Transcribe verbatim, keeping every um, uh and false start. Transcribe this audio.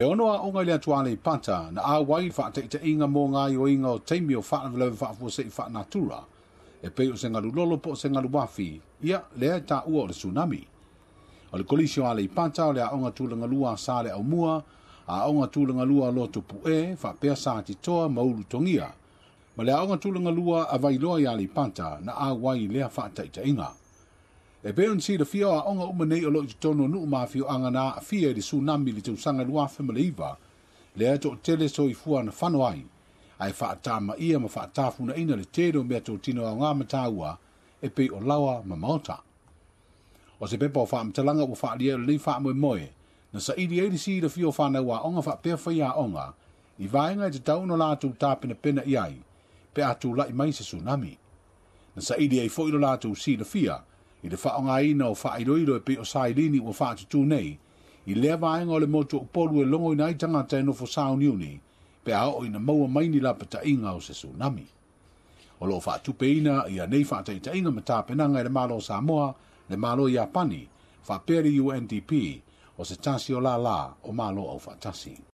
E ono aoga i le atu Aleipata na auai i faataitaiga mo gaoioiga o taimi o faalavelave faafuasei faanatura e pei o se galulolo po o se galuafi, ia lea e taua o le tsunami. O le Kolisi o Aleipata o le aoga tulagalua a Saleaaumua, aoga tulagalua a Lotopu'e faapea Satitoa ma Ulutogia, ma le aoga tulagalua a Vailoa i Aleipata na auai i lea faataitaiga. E pei ona silafia o aoga uma nei o lo o i totonu o nuu ma afioaga na aafia i le tsunami i le tausaga lua afe ma le iva, lea e toatele soifua na fano ai, ae faatamaia ma faatafunaina le tele o meatotino aoga ma taua e pei o laoa ma maota. O se pepa o faamatalaga ua faaalia e lenei faamoemoe, na saili ai le silafia o fanau aoga faapea faiaoga i vaega e tatau ona latou tapenapena i ai pe a tulai mai se tsunami. Na saili ai foi lo latou silafia i le faaaogaina o faailoilo e pei o sailini ua faatutū nei i lea vaega o le motu o Upolu e logoina ai tagata e nofo sauniuni pe a oo ina maua mai ni lapataiga o se tsunami. O lo o faatupeina ia nei faataitaiga ma tapenaga e le Malo o Samoa, le Malo o Iapani, faapea le U N D P, o se tasi o lālā o Malo Aufaatasi.